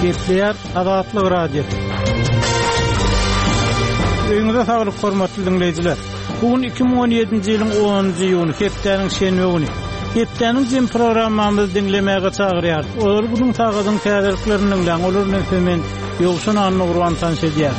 Gepleýär Azatlyk Radiosy. Öýüňize saglyk hormatly diňleýjiler. Bu gün 2017-nji ýylyň 10-njy iýuny, hepdäniň şenbe güni. Hepdäniň jem programmamyzy diňlemäge çagyrýarys. Ozal günüň sagadyň täzeliklerini diňläň, olar bilen sizi men Ýowşan Annagurban tanyş edýän.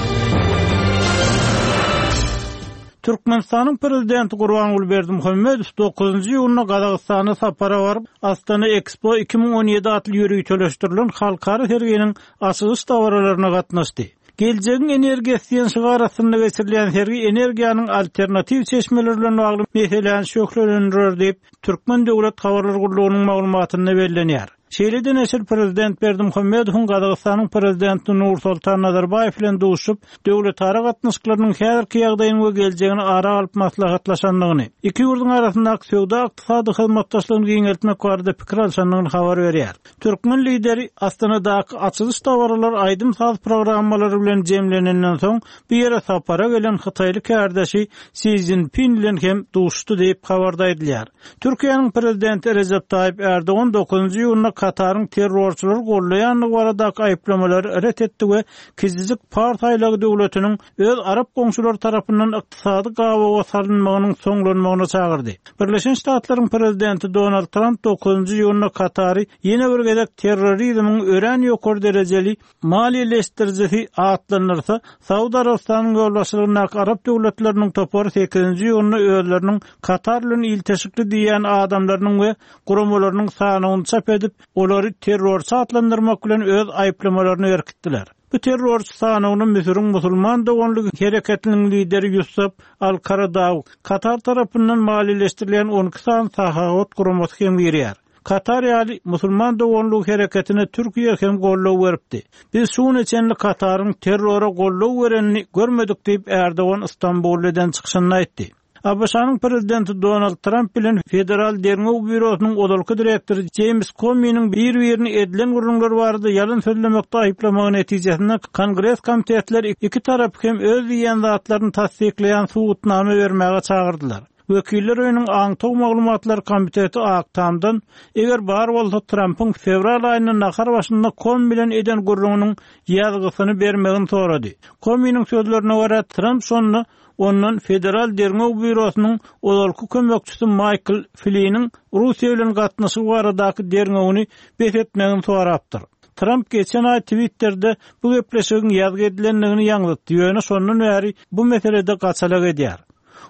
Türkmenistanyň Prezidenti Gurbanguly Berdimuhamedow dokuzynjy iýunda Gazagystana sapara baryp, Astana Ekspo 2017 atly ýöriteleşdirilen halkara serginiň açylyş dabaralaryna gatnaşdy. Geljegiň energiýasy diýen şygar astynda geçirilýän sergi energiýanyň alternatiw çeşmeleri bilen bagly meseläni şöhlelendirer diýip, Türkmen döwlet habarlar gullugynyň maglumatynda bellenýär. Şeýle-de neşir prezident Berdimuhamedowyň Gazagystanyň prezidenti Nursoltan Nazarbaýew bilen duşup, döwletara gatnaşyklarynyň häzirki ýagdaýyny we geljegini ara alyp maslahatlaşandygyny, iki ýurduň arasyndaky söwda-ykdysady hyzmatdaşlygyny giňeltmek barada pikir alşandygyny habar berýär. Türkmen Lideri Astanadaky açylyş dabaralary aýdym-saz programmalary bilen jemlenenden soň, bu ýere sapara gelen hytaýly kärdeşi Si Szinpin bilen hem duşuşdy diýip, habarda aýdylýar. Türkiýäniň Prezidenti Rejep Taýyp Ärdogan dokuzynjy iýunda Kataryň terrorçylary goldaýandygy baradaky aýyplamalary ret etdi we kiçijik Pars aýlagy döwletiniň öz arap goňşulary tarapyndan ykdysady gabawa salynmagynyň soňlanmagyna çagyrdy. Birleşen Ştatlaryň Prezidenti Donald Tramp dokuzynjy iýunda Katary ýene bir gezek terrorizmiň örän ýokary derejeli maliýeleşdirijisi atlandyrsa, Saud Arabystanyň ýolbaşçylygyndaky arap döwletleriniň topary sekizinji iýunda özleriniň Katar bilen ilteşikli diýýän adamlarynyň we guramalarynyň sanawyny çap edip, olary terrorçy atlandyrmak bilen öz aýyplamalaryny berkitdiler. Bu terrorçy sanawyna Müsüriň Musulman doganlygy hereketiniň lideri Ýusuf al-Karadawi, Katar tarapyndan maliýeleşdirilýän 12 sany sahawat guramasy hem girýär. Katar ýaly Musulman doganlygy hereketine Türkiýe hem goldaw beripdi. Biz şu güne çenli Kataryň terrora goldaw berenini görmedik diýip, Ärdogan Stambulda eden çykyşynda aýtdy. ABŞ-nyň prezidenti Donald Tramp bilen Federal derňew býurosynyň ozalky direktory Jeýms Kominiň bir-birini edilen gürrüňler barada ýalan sözlemekde aýyplamagy netijesinde Kongres komitetleri iki tarapy hem öz diýýän zatlaryny tassyklaýan subutnama bermäge çagyrdylar. Wekiller öýüniň Aňtaw maglumatlary komiteti Ak Tamdan, eger bar bolsa, Trampyň fewral aýynda nahar başynda Komi bilen eden gürrüňiniň ýazgysyny bermegini sorady. Kominiň sözlerine görä, Tramp şonda ondan Federal derňew býurosynyň ozalky kömekçisi Maýkl Fliniň Russiýa bilen gatnaşygy baradaky derňewini bes etmegini sorapdyr. Tramp geçen aý Twitterde bu gepleşigiň ýazgy edilendigini ýaňzytdy, ýöne şondan bäri bu meselede gaçalak edýär.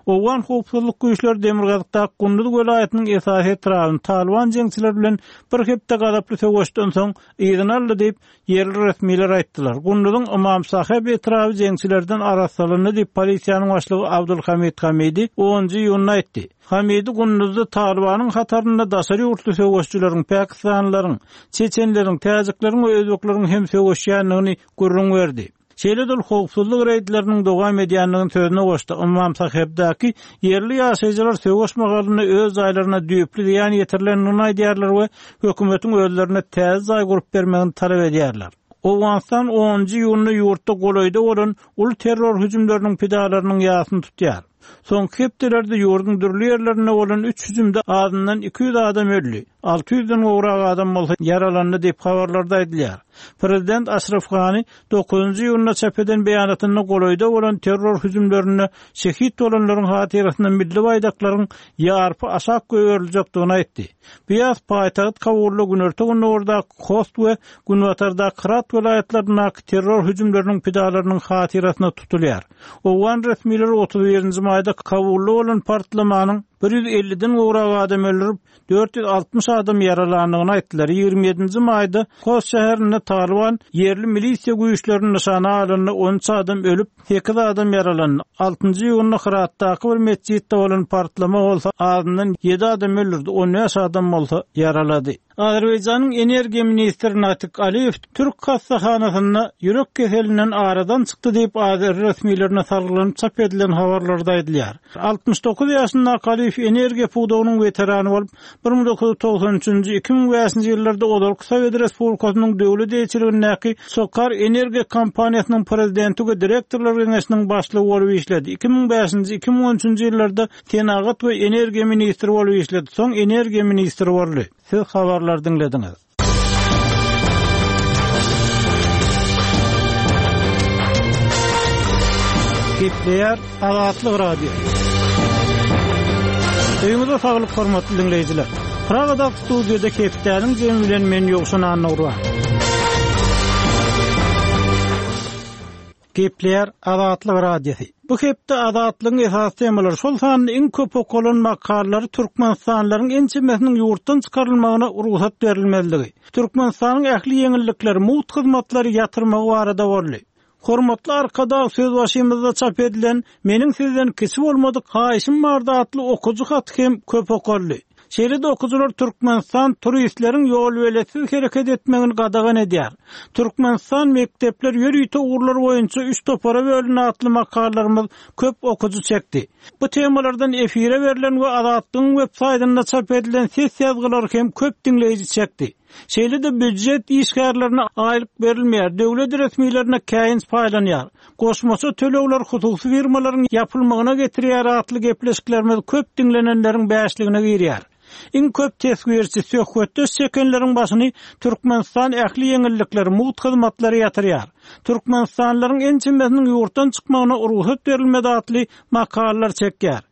Owgan howpsuzlyk güýçleri demirgazykdaky Gunduz welaýatynyň esasy etrabyny Talyban jeňçileri bilen bir hepde gazaply söweşden soň yzyna aldy diýip, ýerli resmiler aýtdylar. Gunduzyň Ymam Saheb etraby jeňçilerden arassalandy diýip, polisiýanyň başlygy Abdul Hamid Hamidi onunjy iýunda aýtdy. Hamidi Gunduzda Talybanyň hatarynda daşary ýurtly söweşijileriň, pakistanlylaryň, çeçenleriň, täjikleriň we özbekleriň hem söweşýändigini gürrüň berdi. Şeýle-de ol howpsuzlyk reýdleriniň dowam edýändigini sözüne goşdy. Ymam Sahebdäki ýerli ýaşaýjylar söweş mahalynda öz jaýlaryna düýpli zyýan ýetirilendigini aýdýarlar we hökümetiň özlerine täze jaý gurup bermegini talap edýärler. Owganystan onunjy iýunda ýurtda golaýda bolan uly terror hüjümleriniň pidalarynyň ýasyny tutýar. Soňky hepdelerde ýurduň dürli ýerlerinde bolan üç hüjümde azyndan 200 adam öldi, 600-den gowrak adam bolsa ýaralandy diýip, habarlarda aýdylýar. Prezident Aşraf Gani dokuzynjy iýunda çap eden beýanatynda golaýda bolan terror hüjümlerinde şehit bolanlaryň hatyrasyna milli baýdaklaryň ýarpy aşak goýberiljekdigini aýtdy. Bu ýas paýtagt Kabulda günorta-gündogardaky Host we günbatardaky Hyrat welaýatlaryndaky terror hüjümleriniň pidalarynyň hatyrasyna tutulýar. Owgan resmileri 31-nji maýda Kabulda bolan partlamanyň 150-den gowrak adam öldürip, 460 adam ýaralandygyny aýtdylar. 27-nji maýda Host şäherinde Talyban ýerli milisiýa güýçlerini nyşana alanda 13 adam ölüp, sekiz adam ýaralandy. Altynjy iýunda Hyratdaky bir metjitde bolan partlama bolsa azyndan ýedi adam öldürdi, 15 adam bolsa ýaralady. Azerbaýjanyň energiýa ministri Natik Aliýew türk hassahanasynda ýürek keselinden aradan çykdy diýip, azeri resmilerine salgylanyp çap edilen habarlarda aýdylýar. 69 ýaşyndaky Aliýew energiýa pudagynyň weterany bolup, 1993-nji, 2005-nji ýyllarda ozalky Sowet Respublikasynyň döwlet eýeçiligindäki SOCAR energiýa kompaniýasynyň prezidenti we direktorlar geňeşiniň başlygy bolup işledi, 2005-nji, 2013-nji ýyllarda Senagat we energiýa ministri bolup işledi, soň energiýa ministri boldy. Siz habarlary diňlediňiz. Gepleýär Azatlyk Radiosy. Öýüňize saglyk hormatly diňleýjiler. Pragadaky studiýada hepdäniň jemi bilen men Ýowşan Annagurban. Gepleýär Azatlyk Radiosy. Bu hepde Azatlygyň esasy temalary, şol sanda iň köp okalan makalalary türkmenistanlylaryň ençemesiniň ýurtdan çykarylmagyna rugsat berilmezligi, Türkmenistanyň ähli ýeňillikleri, mugt hyzmatlary ýatyrmagy barada boldy. Hormatly Arkadag sözbaşymyzda çap edilen Meniň sizden kiçi bolmadyk haýyşym bardy atly okyjy haty hem köp okaldy. Şeýle-de okyjylar Türkmenistan turistleriň ýolbeletsiz hereket etmegini gadagan edýär. Türkmenistan mekdepler ýörite ugurlar boýunça üç topara bölündi atly makalalarymyz köp okyjy çekdi. Bu temalardan efire berlen we Azatlygyň web saýtynda çap edilen ses ýazgylary hem köp diňleýji çekdi. Şeýle-de býujet işgärlerine aýlyk berilmeýär, döwlet resmilerine käýinç paýlanýar. Goşmaça tölegler hususy firmalaryň ýapylmagyna getirýär atly gepleşiklerimiz köp diňlenenleriň bäşligine girýär. Iň köp teswirçi, söhbetdeş çekenleriň başyny Türkmenistan ähli ýeňillikleri, mugt hyzmatlary ýatyrýar. Türkmenistanlylaryň ençemesiniň ýurtdan çykmagyna rugsat berilmedi atly makalalar çekýär.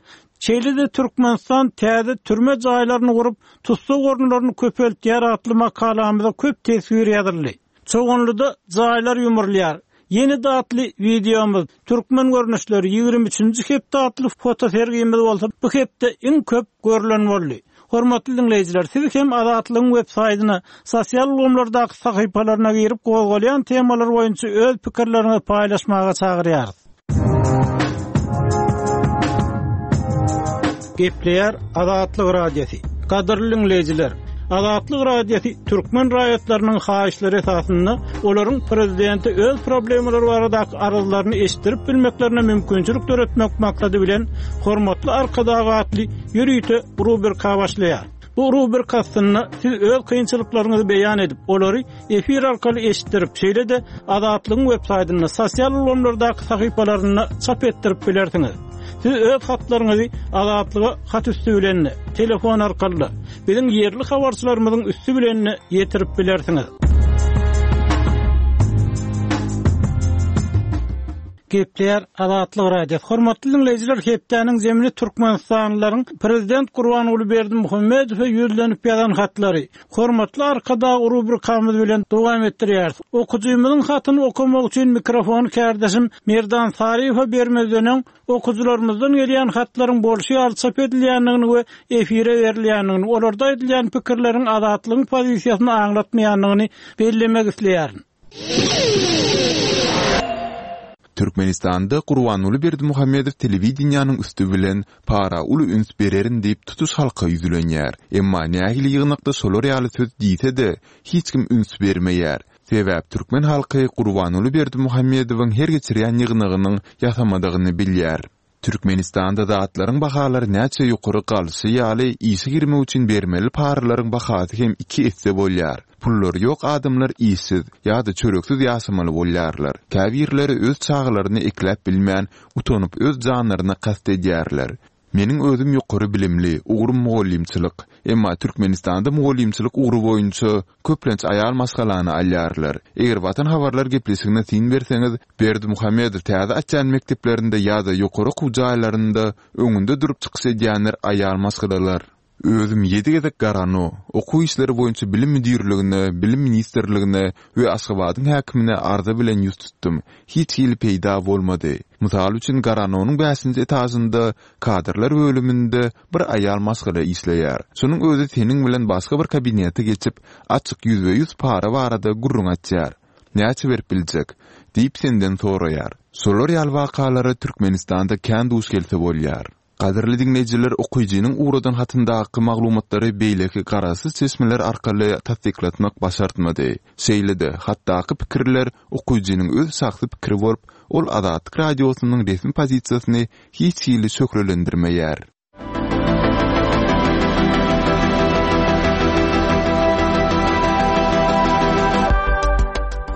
Şeýle-de Türkmenistan täze türme jaýlaryny gurup, tussag orunlaryny köpeltýär atly makalamyza köp teswir ýazyldy. Çoganlyda jaýlar ýumrulýar. Ýene-de atly wideomyz, Türkmen görnüşleri 23-nji hepde atly fotosergimiz bolsa bu hepde iň köp görlen boldy. Hormatly diňleýjiler, siz hem Azatlygyň web saýtyna, sosial ulgamlardaky sahypalaryna girip gozgalýan temalar boýunça öz pikirleriňizi paýlaşmaga çagyrýarys. Gepleýär Azatlyk Radiosy. Gadyrly diňleýjiler, Azatlyk Radiosy türkmen raýatlarynyň haýyşlary esasynda olaryň prezidente öz problemalary baradaky arzlaryny eşitdirip bilmeklerine mümkinçilik döretmek maksady bilen Hormatly Arkadag atly ýörite rubrika başlaýar. Bu rubrika astynda siz öz kynçylyklaryňyzy beýan edip, olary efir arkaly eşitdirip, şeýle-de Azatlygyň web saýtynda, sosial ulgamlardaky sahypalarynda çap etdirip bilersiňiz. Siz öz hatlaryňyzy Azatlyga hat üsti bilen-de, telefon arkaly-da, biziň ýerli habarçylarymyzyň üsti bilen-de ýetirip bilersiňiz. Gepleýär Azatlyk Radiosy. Hormatly diňleýjiler, hepdäniň zemini türkmenistanlylaryň Prezident Gurbanguly Berdimuhamedowa ýüzlenip ýazan hatlary, Hormatly Arkadag rubrikamyz bilen dowam etdirýäris. Okyjymyzyň hatyny okamak üçin mikrofony kärdeşim Merdan Saryýewe bermezden öň, okyjylarymyzdan gelýän hatlaryň bolşy ýaly çap edilýändigini we efire berilýändigini, olarda aýdylýan pikirleriň Azatlygyň pozisiýasyny aňlatmaýandygyny bellemek isleýärin. Türkmenistanda Gurbanguly Berdimuhamedow telewideniýäniň üsti bilen para uly üns bererin diýip tutuş halka ýüzlenýär. Emma nähili ýygnakda şolar ýaly söz diýse-de, hiç kim üns bermeýär. Sebäp türkmen halky Gurbanguly Berdimuhamedowyň her geçirýän ýygnagynyň ýasamadygyny bilýär. Türkmenistanda zatlaryň bahalary näçe ýokary galşy ýaly, işe girmek üçin bermeli paralaryň bahasy hem iki esse bolýar. Pullary ýok adamlar işsiz ýa-da çöreksiz ýaşamaly bolýarlar. Käbirleri öz çagalaryny ekläp bilmän, utanyp öz janlaryna kast edýärler. Meniň özüm ýokary bilimli, ugrum mugallymçylyk. Emma Türkmenistanda mugallymçylyk ugry boýunça köplenç aýal maşgalany alýarlar. Eger Watan habarlar gepleşigine syn berseňiz, Berdimuhamedow täze açýan mekdeplerinde ýa-da ýokary okuw jaýlarynda öňünde durup çykyş edýänler aýal maşgalalar. Özüm ýedi gezek Garano, okuw işleri boýunça bilim müdirligine, bilim ministrligine we Aşgabadyň häkimine arza bilen ýüz tutdum. Hiç hili peýda bolmady. Mysal üçin, Garanonyň bäşinji etažynda kadrlar bölüminde bir aýal maşgala işleýär. Şonuň özi seniň bilen başga bir kabinete geçip, açyk ýüzbe-ýüz para barada gürrüň açýar. Näçe berip biljek? diýip senden soraýar. Şolar ýaly wakalara Türkmenistanda kän duş gelse bolýar. Gadyrly diňleýjiler okyjynyň ugradan hatyndaky maglumatlary beýleki garaşsyz çeşmeler arkaly tassyklatmak başartmady. Şeýle-de, hatdaky pikirler okyjynyň öz şahsy pikiri bolup, ol Azatlyk Radiosynyň resmi pozisiýasyny hiç hili şöhlelendirmeýär.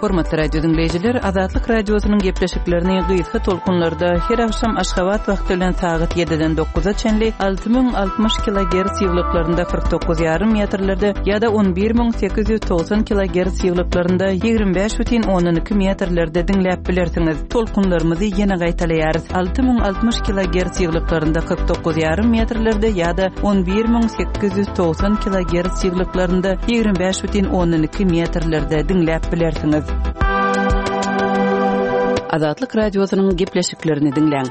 Hormatly radio diňleýjiler, Azatlyk Radiosynyň gepleşiklerini gysga tolkunlarda her agşam Aşgabat wagty bilen sagat ýediden dokuza çenli 6060 kilogerts ýygylyklarynda 49 ýarym metrlerde ýa-da 11890 kilogerts ýygylyklarynda 25 bütin ondan iki metrlerde diňläp bilersiňiz. Tolkunlarymyzy ýene gaýtalaýarys, 6060 kilogerts ýygylyklarynda 49 ýarym metrlerde ýa-da 11890 kilogerts ýygylyklarynda 25 bütin ondan iki metrlerde diňläp bilersiňiz. Azatlyk Radiosynyň gepleşiklerini diňläň.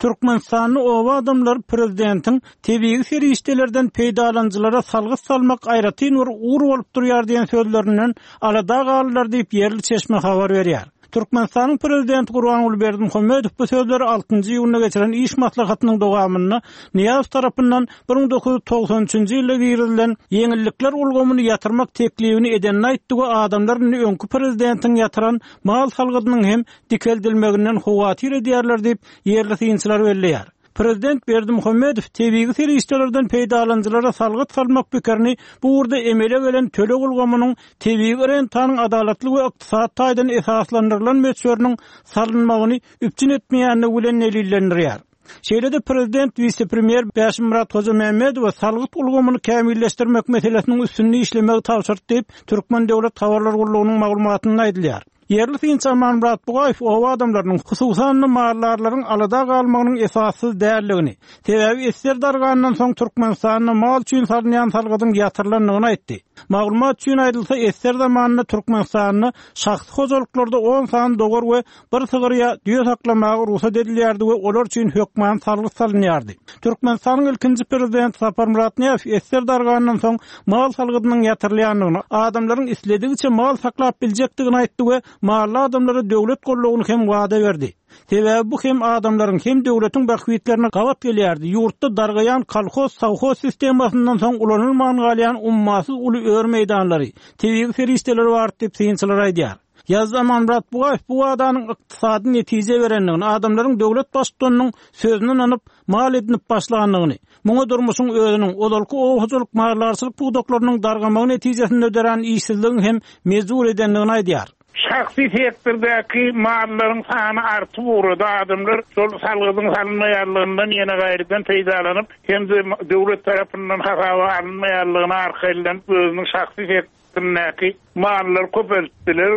Türkmenistanda oba adamlary prezidentiň tebigy serişdelerden peýdalanyjylara salgyt salmak aýratyn bir ugur bolup durýar diýen sözlerinden alada galdylar diýip, ýerli çeşme habar berýär. Türkmenistanyň Prezidenti Gurbanguly Berdimuhamedow bu sözleri altynjy iýunda geçiren iş maslahatynyň dowamynda Nyýazow tarapyndan 1993-nji ýylda girizilen ýeňillikler ulgamyny ýatyrmak teklibini edenini aýtdy we adamlar indi öňki prezidentiň ýatyran mal salgydynyň hem dikeldilmeginden howatyr edýärler diýip, ýerli synçylar belleýär. Prezident Berdimuhamedow tebigy serişdelerden peýdalanyjylara salgyt salmak pikirini bu ugurda emele gelen töleg ulgamynyň tebigy rentanyň adalatly we ykdysady taýdan esaslandyrylan möçberiniň salynmagyny üpjün etmeýändigi bilen delillendirýär. Şeýle-de prezident wise-premýer Bäşimmyrat Hojamämmedowa salgyt ulgamyny kämilleşdirmek meselesiniň üstünde işlemegi tabşyrdy diýip, Türkmen döwlet habarlar gullugynyň maglumatynda aýdylýar. Ýerli synçy Amanmyrat Bugaýew oba adamlarynyň, hususan-da, maldarlaryň alada galmagynyň esassyz däldigini, sebäbi esger dargandan soň Türkmenistanda mal üçin salynýan salgydyň ýatyrylandygyny aýtdy. Maglumat üçin aýdylsa, esger zamanynda Türkmenistanda şahsy hojalyklarda on sany dowar we bir sygyr ýa düýe saklamaga rugsat edilýärdi we olar üçin hökman salgyt salynýardy. Türkmenistanyň ilkinji prezidenti Saparmyrat Nyýazow esger dargandan soň mal salgydynyň ýatyrylýandygyny, adamlaryň isledigiçe mal saklap biljekdigini aýtdy we mally adamlara döwlet goldawyny hem wada berdi. Sebäbi bu hem adamlaryň, hem döwletiň bähbitlerine gabat gelýärdi, ýurtda dargaýan kolhoz-sowhoz sistemasyndan soň ulanylman galýan ummasyz uly öri meýdanlary, tebigy serişdeleri bardy diýip, synçylar aýdýar. Ýazyjy Amanmyrat Bugaýew bu wadanyň ykdysady netije berendigini, adamlaryň döwlet baştutanynyň sözüne ynanyp, mal edinip başlandygyny, muňa durmuşyň özüniň, ozalky oba hojalyk maldarçylyk pudaklarynyň dargamagy netijesinde dörän işsizligiň hem mejbur edendigini aýdýar. Şahsy sektordaky mallaryň sany artyp ugrady, adamlar şol salgydyň salynmaýanlygyndan ýene gaýrydan peýdalanyp hem-de döwlet tarapyndan hasaba alynmaýanlygyna arkaýynlanyp özüniň şahsy Üstündäki mallary köpeltdiler.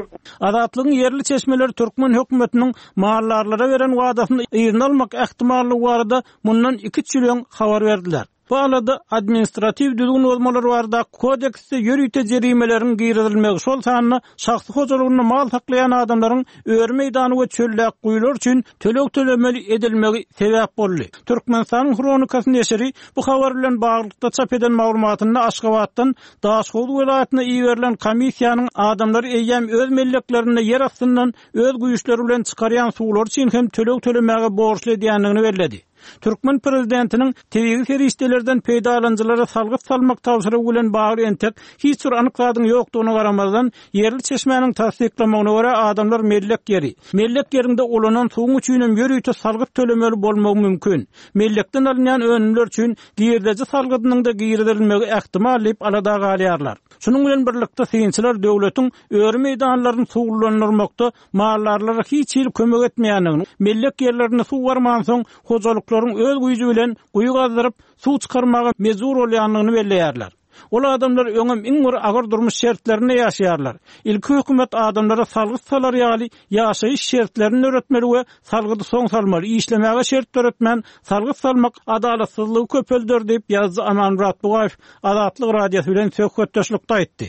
Azatlygyň ýerli çeşmeleri türkmen hökümetiniň maldarlara beren wadasyny yzyna almak ähtimallygy barada mundan iki-üç ýyl öň habar berdiler. Bu alada administratiw düzgün bozmalar baradaky kodeksde ýörite jerimeleriň girizilmegi, şol sanda şahsy hojalygynda mal saklaýan adamlaryň öri meýdany we çöldäki guýular üçin töleg tölemeli edilmegi sebäp boldy. Türkmenistanyň Hronikasy neşiri bu habar bilen baglylykda çap eden maglumatynda Aşgabatdan Daşhowuz welaýatyna iberilen komissiýanyň adamlary eýýäm öz melleklerinde ýer astyndan öz güýçleri bilen çykarýan suwlary üçin hem töleg tölemäge borçly edýändigini belledi. Türkmen prezidentiniň tebigy serişdelerden peýdalanyjylara salgyt salmak tabşyrygy bilen bagly entek hiç bir anyk zadyň ýokdugyna garamazdan, ýerli çeşmäniň tassyklamagyna görä, adamlar mellek ýeri, mellek ýerinde ulanan suwuň üçinem ýörite salgyt tölemeli bolmagy mümkin. Mellekden alynýan önümler üçin girdeji salgydynyň-da girizilmegi ähtimal diýip alada galýarlar. Şunuň bilen birlikde, synçylar döwletiň öri meýdanlaryny suwlulandyrmakda maldarlara hiç hili kömek etmeýändigini, mellek ýerlerinde suw barmansoň, hojalyklaryň öz güýji bilen guýy gazdyryp, suw çykarmaga mejbur bolýandygyny belleýärler. Ol adamlar öňem iň bir agyr durmuş şertlerinde ýaşaýarlar. Ilki hökümet adamlara salgyt salar ýaly ýaşaýyş şertlerini döretmeli we salgydy soň salmaly, işlemäge şert döretmän salgyt salmak adalatsyzlygy köpelder diýip, ýazyjy Amanmyrat Bugaýew Azatlyk Radiosy bilen söhbetdeşlikde aýtdy.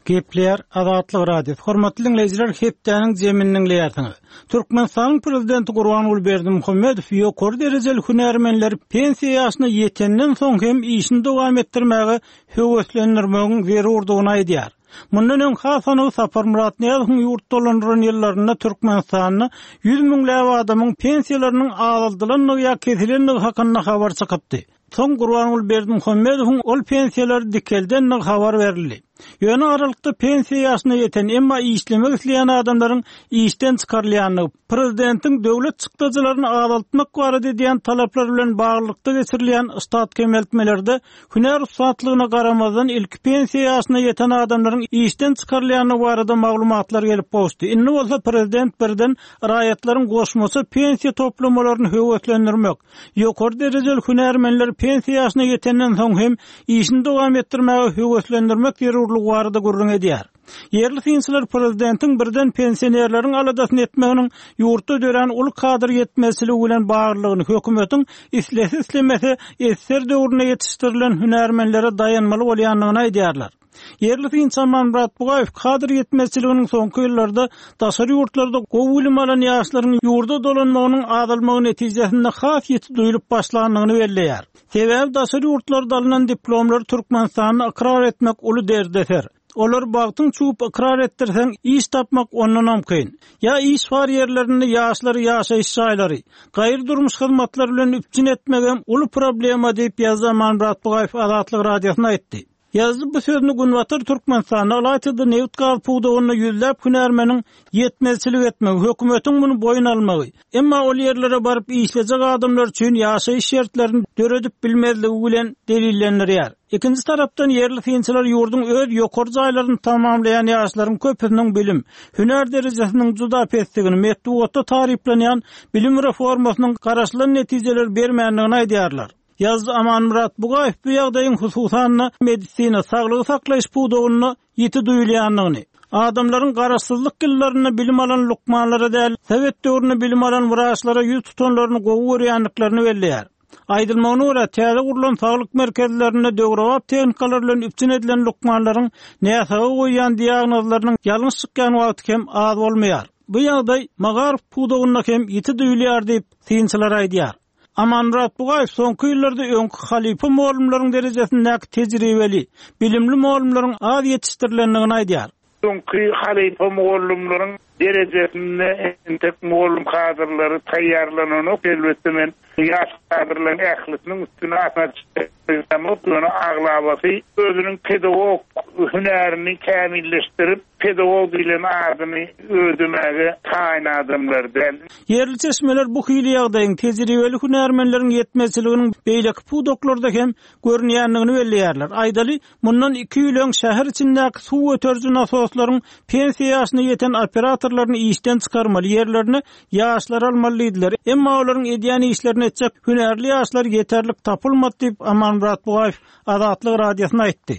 Gepleýär Azatlyk Radiosy. Hormatly diňleýjiler, hepdäniň jemini diňleýärsiňiz. Türkmenistanyň Prezidenti Gurbanguly Berdimuhamedow ýokary derejeli hünärmenleri pensiýa ýaşyna ýetenden soň hem işini dowam etdirmäge höweslendirmegiň zerurdygyny aýdýar. Mundan öň has anygy Saparmyrat Nyýazowyň ýurt dolandyran ýyllarynda Türkmenistanda ýüz müňläp adamyň pensiýalarynyň azaldylandygy ýa kesilendigi hakynda habar çykypdy. Soň Gurbanguly Berdimuhamedowyň ol pensiýalary dikeldendigi habar berildi. Ýöne aralykda pensiýa ýaşyna ýeten, emma işlemek isleýän adamlaryň işden çykarylýandygy, prezidentiň döwlet çykdajylaryny azaltmak barada edýän talaplary bilen baglylykda geçirilýän ştat kemeltmelerde hünär ussatlygyna garamazdan ilki pensiýa ýaşyna ýeten adamlaryň işden çykarylýandygy barada maglumatlar gelip gowuşdy. Indi bolsa prezident birden raýatlaryň goşmaça pensiýa toplamalaryny höweslendirmek, Ýokary derejeli hünärmenleri pensiýa ýaşyna ýetenden soň hem işini dowam etdirmäge höweslendirmek zerurlygy barada gürrüň edýär. Ýerli synçylar prezidentiň birden pensionerleriň aladasyny etmeginiň ýurtda dörän uly kadr ýetmezçiligi bilen baglydygyny, hökümetiň islese-islemese ssr döwründe ýetişdirilen hünärmenlere daýanmaly bolýandygyny aýdýarlar. Ýerli synçy Amanmyrat Bugaýew kadr ýetmezçiliginiň soňky ýyllarda daşary ýurtlarda gowy bilim alan ýaşlaryň ýurda dolanmagynyň azalmagy netijesinde has ýiti duýlup başlandygyny belleýär. Sebäbi daşary ýurtlarda alnan diplomlary Türkmenistanda ykrar etmek uly derdeser. Olary bagtyň çüwüp ykrar etdirseň, iş tapmak ondanam kyn. Ýa iş bar ýerlerinde ýaşlary ýaşaýyş jaýlary, gaýry durmuş hyzmatlary bilen üpjün etmegem uly problema diýip, ýazyjy Amanmyrat Bugaýew Azatlyk Radiosyna aýtdy. Ýazyjy bu sözüni Günbatar Türkmenistanda, ylaýta-da nebit-gaz pudagynda ýüzläp hünärmeniň ýetmezçilik etmegi, hökümetiň muny boýun almagy, emma ol ýerlere baryp işlejek adamlar üçin ýaşaýyş şertlerini döredip bilmezligi bilen delillendirýär. Ikinji tarapdan, ýerli synçylar ýurduň öz ýokary jaýlaryny tamamlaýan ýaşlaryň köpüsiniň bilim, hünär derejesiniň juda pesdigini, metbugatda taryplanýan bilim reformasynyň garaşylan netijeleri bermändigini aýdýarlar. Ýazyjy Amanmyrat Bugaýew bu ýagdaýyň hususan-da medisina, saglygy saklaýyş pudagynda ýiti duýulýandygyny, adamlaryň garaşsyzlyk ýyllarynda bilim alan lukmanlara däl, sowet döwründe bilim alan wraçlara ýüz tutanlaryny gowy görýändiklerini belleýär. Aýdylmagyna görä, täze gurlan saglyk merkezlerinde döwrebap tehnikalar bilen üpjün edilen lukmanlaryň näsaga goýýan diagnozlarynyň ýalňyş çykýan wagty hem az bolmaýar. Bu ýagdaý magaryf pudagynda hem ýiti duýulýar diýip, synçylar aýdýar. Amanmyrat Bugaýew soňky ýyllarda öňki halypa mugallymlaryň derejesindäki tejribeli, bilimli mugallymlaryň az ýetişdirilendigini aýdýar. Öňki halypa mugallymlaryň derejesinde entek mugallym kadrlary taýýarlananok. Elbetde men ýaş kadrlaryň ählisiniň üstüne aýdamok, ýöne aglabasy özüniň pedagog hünärini kämilleşdirip, pedagog diýlen adyny ödemäge taýyn adamlar däl. Ýerli çeşmeler bu hili ýagdaýyň tejribeli hünärmenleriň ýetmezçiliginiň beýleki pudaklarda hem görünýändigini belleýärler. Aýdaly, mundan iki ýyl öň şäher içindäki suw göteriji nasoslaryň pensiýa ýaşyna ýeten operatorlaryny işden çykarmaly, ýerlerine ýaşlary almaly diýdiler. Emma olaryň edýän işlerini etjek hünärli ýaşlar ýeterlik tapylmady diýip, Amanmyrat Bugaýew Azatlyk Radiosyna aýtdy.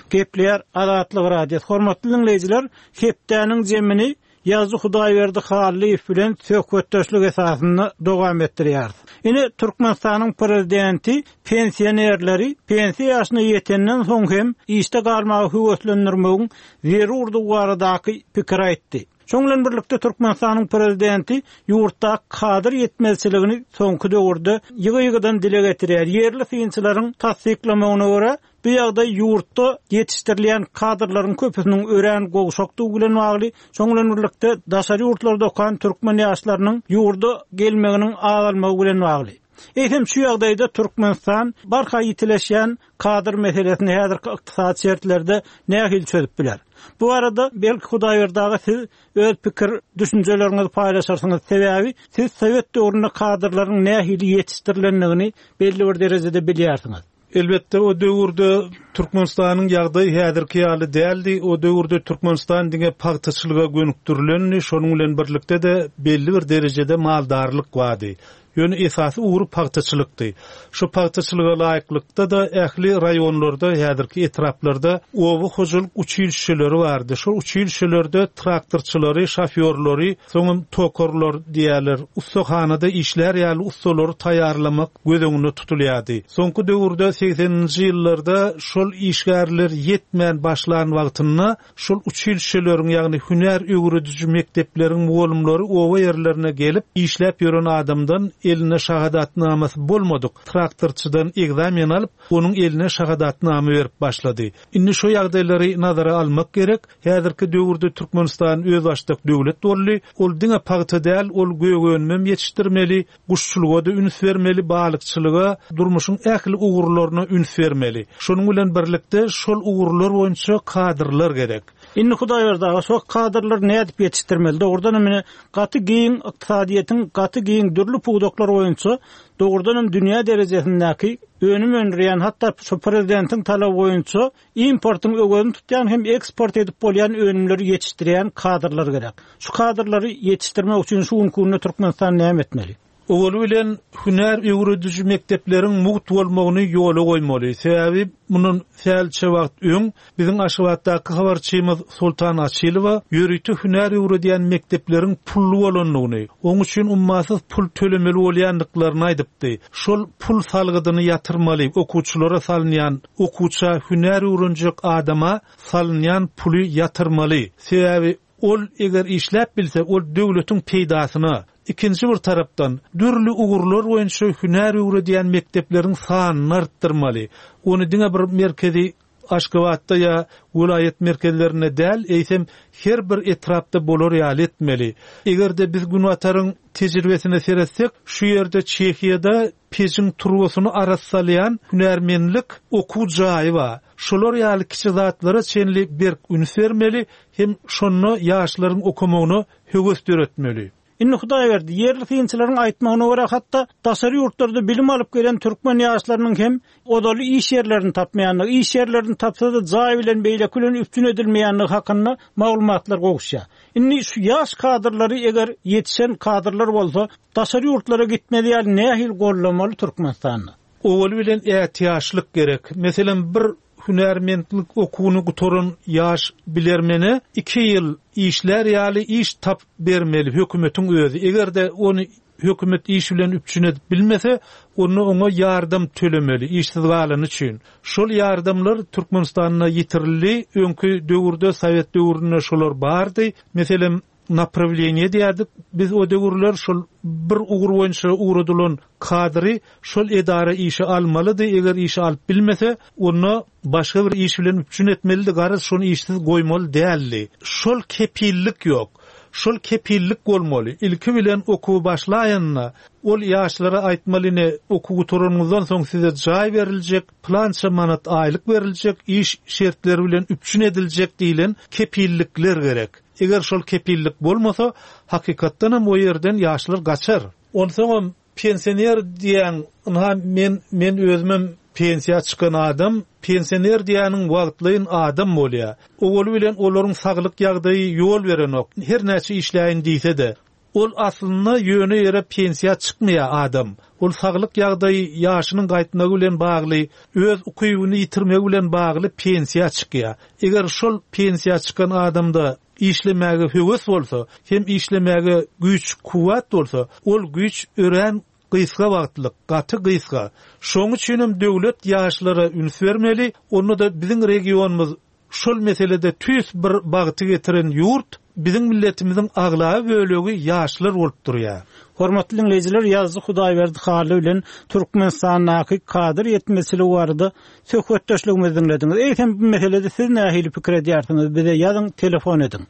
Gepleýär Azatlyk Radiosy. Hormatly diňleýjiler, hepdäniň jemini ýazyjy Hudaýberdi Hallyýew bilen söhbetdeşlik esasynda dowam etdirýäris. Ine, Türkmenistanyň Prezidenti pensionerleri pensiýa ýaşyna ýetenden soň hem işde galmaga höweslendirmegiň zerurdygy baradaky pikiri aýtdy. Şonuň bilen birlikde, Türkmenistanyň prezidenti ýurtdaky kadr ýetmezçiligini soňky döwürde ýygy-ýygydan dile getirýär. Ýerli synçylaryň tassyklamagyna görä, bu ýagdaý ýurtda ýetişdirilýän kadrlaryň köpüsiniň örän gowşakdygy bilen bagly, şonuň bilen birlikde, daşary ýurtlarda okan türkmen ýaşlarynyň ýurda gelmeginiň azalmagy bilen bagly. Eýsem, şu ýagdaýda Türkmenistan barha ýitileşýän kadr meselesini häzirki ykdysady şertlerde nähili çözüp biler? Bu barada belki Hudaýberdi aga siz öz pikir düşünjeleriňizi paýlaşarsyňyz. Sebäbi siz sowet döwründe kadrlaryň nähili ýetişdirilendigini belli bir derejede bilýärsiňiz. Elbetde o döwürde Türkmenistanyň ýagdaýy häzirki ýaly däldi. O döwürde Türkmenistan diňe pagtaçylyga gönükdirilendi, şonuň bilen birlikde-de belli bir derejede maldarlyk bardy. Ýöne esasy ugry pagtaçylykdy. Şu pagtaçylyga laýyklykda-da ähli raýonlarda, häzirki etraplarda oba hojalyk uçilişşeleri bardy. Şol uçilişşelerde traktorçylary, şofýorlary, soňam tokarlar diýýärler, ussahanada işlär ýaly ussalary taýýarlamak göz öňünde tutulýardy. Soňky döwürde, segseninji ýyllarda şol işgärler ýetmän başlan wagtynda Şol uçilişşeleriň, ýagny hünär öwrediji mekdepleriň mugallymlary oba ýerlerine gelip, işläp ýören adamdan. elinde şahadatnamasy bolmadyk traktorçydan ekzamen alyp, onuň eline şahadatnama berip başlady. Indi şo ýagdaýlary nazara almak gerek. Häzirki döwürde Türkmenistan özbaşdak döwlet boldy. Ol diňe pagta däl, ol gök önümem ýetişdirmeli, guşçulyga-da üns bermeli, balykçylyga, durmuşyň ähli ugurlaryna üns bermeli. Şonuň bilen birlikde şol ugurlar boýunça kadrlar gerek. Indi Hudaýberdi aga, şo kadrlary nädip ýetişdirmeli? Dogrudanam ine, gaty giň ykdysadyýetiň gaty giň dürli pudaklar boýunça dogrudanam dünýä derejesindäki önüm öndürýän, hatda şu prezidentiň talaby boýunça importyň öwezini tutýan hem eksport edip bolýan önümleri ýetişdirýän kadrlar gerek. Şu kadrlary ýetişdirmek üçin şu günki günde Türkmenistan näme etmeli? Owaly bilen hünär öwrediji mekdepleriň mugt bolmagyny ýola goýmaly. Sebäbi mundan sähelçe wagt öň biziň Aşgabatdaky habarçymyz Soltan Açylowa ýörite hünär öwredýän mekdepleriň pully bolandygyny, oň üçin ummasyz pul tölemeli bolýandyklaryny aýdypdy. Şol pul salgydyny ýatyrmaly, okuwçylara salynýan, okuwça, hünär öwrenjek adama salynýan puly ýatyrmaly. Sebäbi Ol eger işläp bilse, ol döwletiň peýdasyna. Ikinji bir tarapdan, dürli ugurlar boýunça hünär öwredýän mekdepleriň sanyny artdyrmaly. Ony diňe bir merkezi Aşgabatda ýa welaýat merkezlerinde däl, eýsem, her bir etrapda bolar ýaly etmeli. Eger-de biz Günbataryň tejribesine seretsek, şu ýerde Çehiýada pejiň turbasyny arassalaýan hünärmenlik okuw jaýy bar. Şolar ýaly kiçi zatlara çenli berk üns bermeli hem şonda ýaşlaryň okamagyna höwes döretmeli. Indi Hudaýberdi, ýerli synçylaryň aýtmagyna görä, hatda daşary ýurtlarda bilim alyp gelen türkmen ýaşlarynyň hem ozaly iş ýerlerini tapmaýandygy, iş ýerlerini tapsa-da jaý bilen beýleki bilen üpjün edilmeýändigi hakynda maglumatlar gowuşýar. Indi şu ýaş kadrlary eger ýetişen kadrlar bolsa, daşary ýurtlara gitmez ýaly nähili goldamaly Türkmenistanda? Owaly bilen ätiýaçlyk gerek. Meselem, bir hünärmentlik okuwyny gutaran ýaş bilermene iki ýyl işlär ýaly iş tapyp bermeli hökümetiň özi. Eger-de ony hökümet iş bilen üpjün edip bilmese, onda oňa ýardam tölemeli, işsiz galany üçin. Şol ýardamlar Türkmenistanda ýitirildi. Öňki döwürde, sowet döwründe şolar bardy. Meselem, Naprawleniýe diýerdik biz o döwürler şol bir ugur boýunça ugradylan kadry şol edara işe almalydy, eger işe alyp bilmese, onda başga bir iş bilen üpjün etmelidi, garaz şony işsiz goýmaly däldi. Şol kepillik ýok. Şol kepillik bolmaly. Ilki bilen okuwy başlaýanda ol ýaşlara aýtmaly ine okuw gutaranyňyzdan soň size jaý beriljek, pylança manat aýlyk beriljek, iş şertleri bilen üpjün ediljek diýlen kepillikler gerek. Eger şol kepillik bolmasa, hakykatdanam o ýerden ýaşlar gaçar. Onsoňam pensioner diýýäň, ynha men men özümem pensiýa çykan adam, pensioner diýýäniň wagtlaýyn adam bolýar. Owaly bilen olaryň saglyk ýagdaýy ýol berenok, her näçe işläýin diýse-de. Ol aslynda ýöne ýere pensiýa çykmaýar adam. Ol saglyk ýagdaýy, ýaşynyň gaýtmagy bilen bagly, öz ukybyny ýitirmegi bilen bagly pensiýa çykýar. Eger şol pensiýa çykan adamda işlemäge höwes bolsa, hem işlemäge güýç, kuwwat bolsa, ol güýç örän gysga wagtlyk, gaty gysga. Şoň üçinem döwlet ýaşlara üns bermeli, onda-da biziň regionymyz Şol meselede tüýs bir bagty getiren ýurt, biziň milletimiziň aglaba bölegi ýaşlar bolup durýar. Hormatly diňleýjiler, ýazyjy Hudaýberdi Hally bilen Türkmenistandaky kadr ýetmezçiligi barada söhbetdeşligimizi diňlediňiz. Eýsem bu meselede siz nähili pikir edýärsiňiz, bize ýazyň, telefon ediň.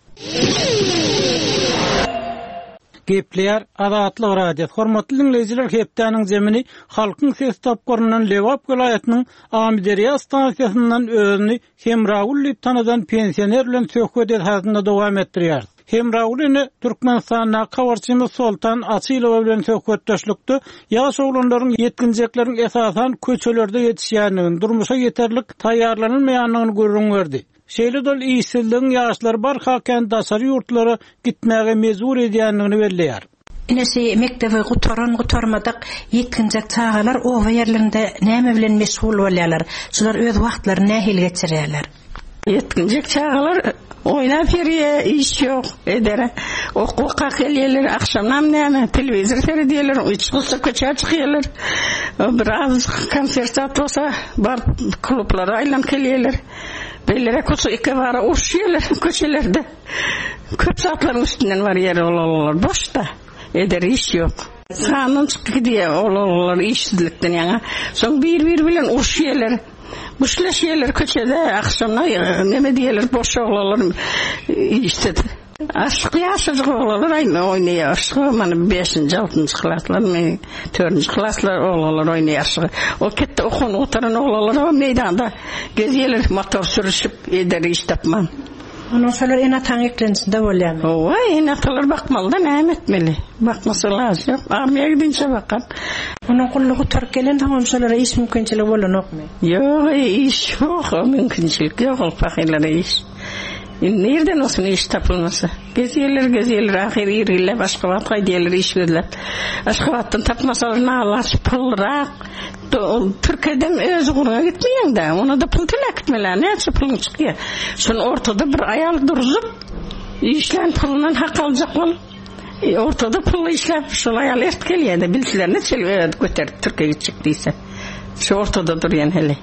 Gepleýär Azatlyk Radiosy. Hormatly diňleýjiler, hepdäniň jemini Halkyň sesi tapgyryndan Lebap welaýatynyň Amyderýa stansiýasyndan özüni Hemragül diýip tanadan pensioner bilen söhbet esasynda dowam etdirýäris. Hemragül ene Türkmenistandaky habarçymyz Soltan Açylowa bilen söhbetdeşlikde ýaş oglanlaryň, ýetginjekleriň esasan köçelerde ýetişýändigini, durmuşa ýeterlik taýýarlanylmaýandygyny gürrüň berdi. Şeýle-de ol işsizligiň ýaşlary barha kän daşary ýurtlara gitmäge mejbur edýändigini belleýär. Ine şi mekdebi gutaran gutarmadyk ýetginjek çagalar oba ýerlerinde näme bilen meşgul bolýarlar? Şular öz wagtlaryny nähili geçirýärler? Ýetginjek çagalar oýnap ýörýär, iş ýok edere. Okuw okap gelýärler, agşamam näme, telewizor seredýärler, iç gursa köçä çykýarlar. Bir azajyk konsert zat bolsa, baryp klublara aýlanyp gelýärler. Beýleräk bolsa ikibara uruşýarlar köçelerde. Köp zatlaryň üstünden barýar ol oglanlar. Boş-da, eder iş ýok. Sandan çykyp gidýär oglanlar işsizlikden ýaňa. Soň bir-biri bilen uruşýarlar. Muştlaşýarlar köçede agşamlar neme diýerler boş oglanlar işsiz. Aşyk ýaşajyk oglanlar aýna oýnaýar. Aşyk mana beşinji, altynjy klaslarmy, dördünji klaslar oglanlar oýnaýar aşygy. O ketde okuwyny gutaran oglanlar meýdanda gezýärler motor sürüşip eder iş tapman. Ondan şolar ene-ataň eklenjinde bolýarmy? Hawa, ene-atalar bakmaly-da, näme etmeli? Bakmasa lajy ýok. Armiýa gidinçä bakar. Onuň gullugy gutaryp gelensoňam şolara iş mümkinçiligi bolanokmy? Ýok, iş ýok, mümkinçilik ýok ol pahyrlara iş. Indi nirden bolsun iş tapylmasa? Gezýärler, gezýärler, ahyry irgilläp Aşgabat gaýdýarlar iş gözläp. Aşgabatdan tapmasalar nalaç pulrak. Ol Türkiýeden öz ugruna gitmeýäň-dä. Ona-da pul töläp gitmeli-ä. Näçe puluň çykýar. Şony ortada bir aýal durzup, işlän pulundan hak aljak bolup, ortada pully işläp, şol aýal ert gelýär-de, bilseler näçe özi göterip Türkiýä gitjek diýse. Şu ortada durýan heleý.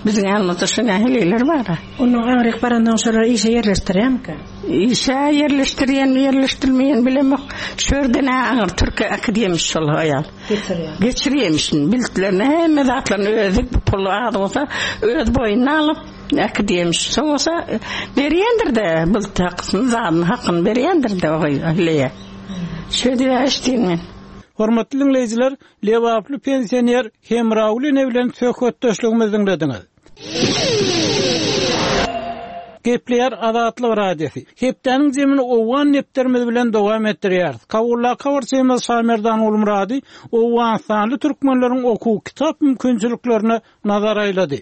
Biziň ýanymyzda şu nähililer bar-a. Ondan aňryk barandan şolary işe ýerleşdirýärmikä? Işe ýerleşdirýänmi, ýerleşdirmeýänmi bilemok. Şu ýerden-ä aňry Türkiýä äkidýärmiş şol aýal. Geçirýär. Geçirýärmişin. Biltlerini, hemme zatlaryny özi, puly az bolsa, öz boýnuna alyp, äkidýärmiş. Soň bolsa berýändir-de, bilt hakysyny, zadyny, hakyny berýändir-de o heleýe. Şeýdip eşitdim men. Hormatly diňleýjiler, lebaply pensioner Hemraguly ene bilen söhbetdeşligimizi diňlediňiz. Gepleýär Azatlyk Radiosy. Hepdäniň jemini owgan depderimiz bilen dowam etdirýäris. Kabuldaky habarçymyz Şamerdan Gulmyrady owganystanly türkmenleriň okuw-kitap mümkinçiliklerine nazar aýlady.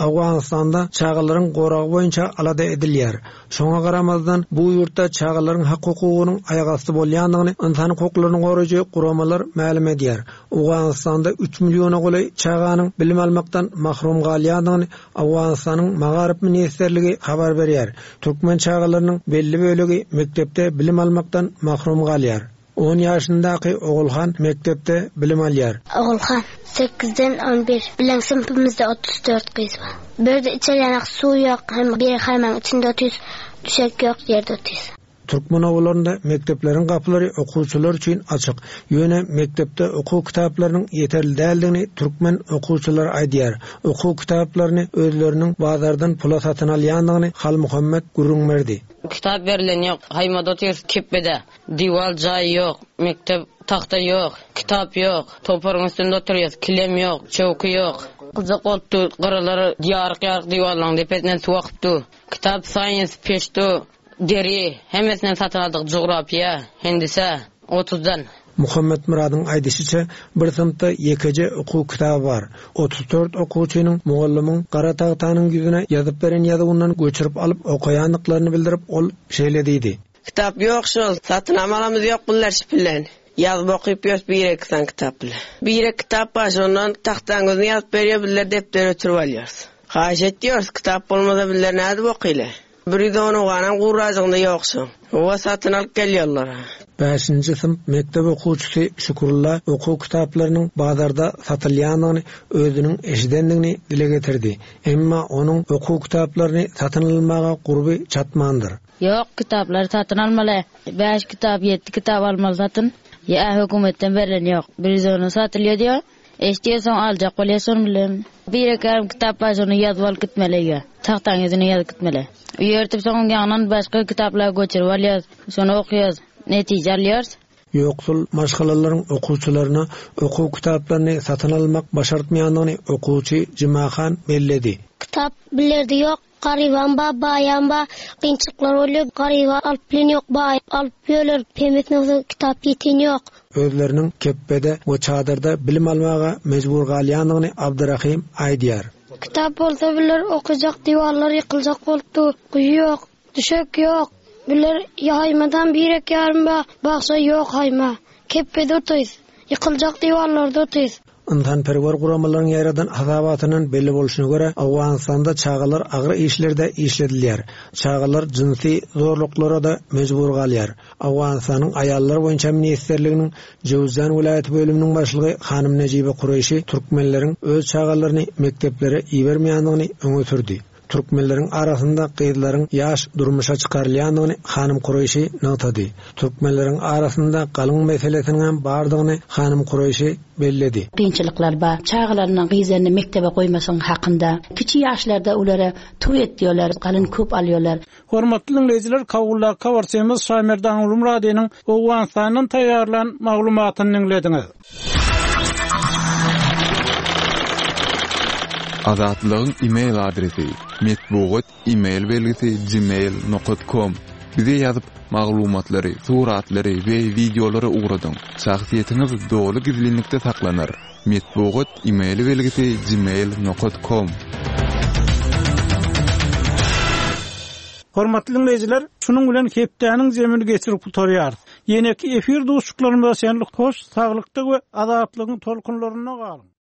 Owganystanda çagalaryň goragy boýunça alada edilýär. Şoňa garamazdan, bu ýurtda çagalaryň hak-hukugynyň aýagasty bolýandygyny ynsan hukuklaryny goraýjy guramalar mälim edýär. Owganystanda üç milliona golaý çaganyň bilim almakdan mahrum galýandygyny Owganystanyň Magaryf ministrligi habar berýär. Türkmen çagalarynyň belli bölegi mekdepde bilim almakdan mahrum galýar. On ýaşyndaky Ogulhan mekdepde bilim alýar. Ogulhan, Sekizden on bir. Bileň synpymyzda 34 gyz bar. Bu ýerde içer ýanak suw ýok, hem bir haýmaň içinde otyrys, düşek ýok, ýerde otyrys. Türkmen obalarynda mekdepleriň gapylary okuwçylar üçin açyk. Ýöne mekdepde okuw kitaplarynyň ýeterli däldigini türkmen okuwçylary aýdýar. Okuw kitaplaryny özleriniň bazardan pula satyn alýandygyny Halmuhammet gürrüň berdi. Kitap berlen ýok, haýmada otyrys kepbede. Diwal jaý ýok, mekdep tagta ýok, kitap ýok, toparyň üstünde oturýas, kilem ýok, çöwki ýok. Gyjak bolup dur, gyralar ýaryk-ýaryk diwallaryň depesinden suw akyp dur. Kitap science, peşto, deri, hemmesinden satyn aldyk, jugrapiýa, hendise, otuzdan. Muhammetmyradyň aýdyşyça, bir synpda ýekeje okuw kitaby bar. 34 okuwçynyň mugallymyň gara tagtanyň ýüzüne ýazyp beren ýazuwyndan göçürip alyp okaýandyklaryny bildirip, ol şeýle diýdi. Kitap ýok şol, satynam alamyz ýok bunlar şipillen. Ýazyp okyp ýörüs birek san kitap bile. Birek kitap bar şondan tagtaň özüni ýazyp berýär bizler depdere öçürip alýarys. Haýyş etýäris kitap bolmasa bizler nädip okyly. 110 oganam gurrajygynda ýok şoň. Oba satyn alyp gelýärler. Bäşinji synp mekdep okuwçysy Şükrulla okuw kitaplarynyň bazarda satylýandygyny özüniň eşidendigini dile getirdi. Emma onuň okuw kitaplaryny satyn almaga gurby çatmandyr. Ýok, kitaplary satyn almaly. Bäş kitap, ýetdi kitap almaly satyn. Ýa hökümetden berlen ýok. 110-a satylýar diýýär. Eşidýär soň aljak bolýar şony bilen. Bir-iki kitap bar şony ýazyp alyp gitmeli öýe. Tagtaň ýüzüne ýazyp gitmeli. Öýe ertip soň oň ýanyndan başga kitaplary göçürip alýarys. Şony okaýarys. Netije alýarys. Ýoksul maşgalalaryň okuwçylaryna okuw kitaplaryny satyn almak başartmaýandygyny okuwçy Jumahan belledi. Kitap bilerde ýok. Garybam ba, baýam ba, kynçylyklar bolýar. Garyba alyp bilen ýok, baý alyp ýörler. Hemmesine bolsa kitap ýeten ýok. Özleriniň kepbede we çadyrda bilim almaga mejbur galýandygyny Abdyrahym aýdýar. Kitap bolsa biler okajak, diwarlar ýykyljak bolup dur. Guýy ýok, düşek ýok. Biler ýaýmadan birek ýarym ba, bagça ýok haýma. Kepbede otyrys. Ýykyljak diwarlarda otyrys. Ynsanperwer guramalaryň ýaýradan hasabatyndan belli bolşuna görä, Owganystanda çagalar agyr işlerde işledilýär. Çagalar jynsy zorluklara-da mejbur galýar. Owganystanyň Aýallar boýunça ministrliginiň Jöwüzjan welaýaty bölüminiň başlygy hanym Nejibe Kureýşi türkmenleriň öz çagalaryny mekdeplere ibermeýändigini öňe sürdi. Türkmenleriň arasynda gyzlaryň ýaş durmuşa çykarylýandygyny hanym Kureýşi nygtady. Türkmenleriň arasynda galyň meselesiniňem bardygyny hanym Kureýşi belledi. Kynçylyklar bar. Çagalaryny, gyzlaryny mekdebe goýmasyň hakynda. Kiçi ýaşlarda olara toý etýärler, galyn köp alýarlar. Hormatly diňleýjiler, Kabuldaky habarçymyz Şamerdan Gulmyradynyň Owganystandan taýýarlan maglumatyny diňlediňiz. Azatlygyň e-mail adresi, metbugat e-mail belgisi gmail nokat kom. Bize ýazyp, maglumatlary, suratlary we wideolary ugradyň. Şahsyýetiňiz doly gizlinlikde saklanar. Metbugat e-mail belgisi gmail nokat kom. Hormatly diňleýjiler, şunuň bilen hepdäniň jemini geçirip gutarýarys. Ýeneki efir duşuşyklarymyza çenli hoş saglykda we azatlygyň tolkunlarynda galyň!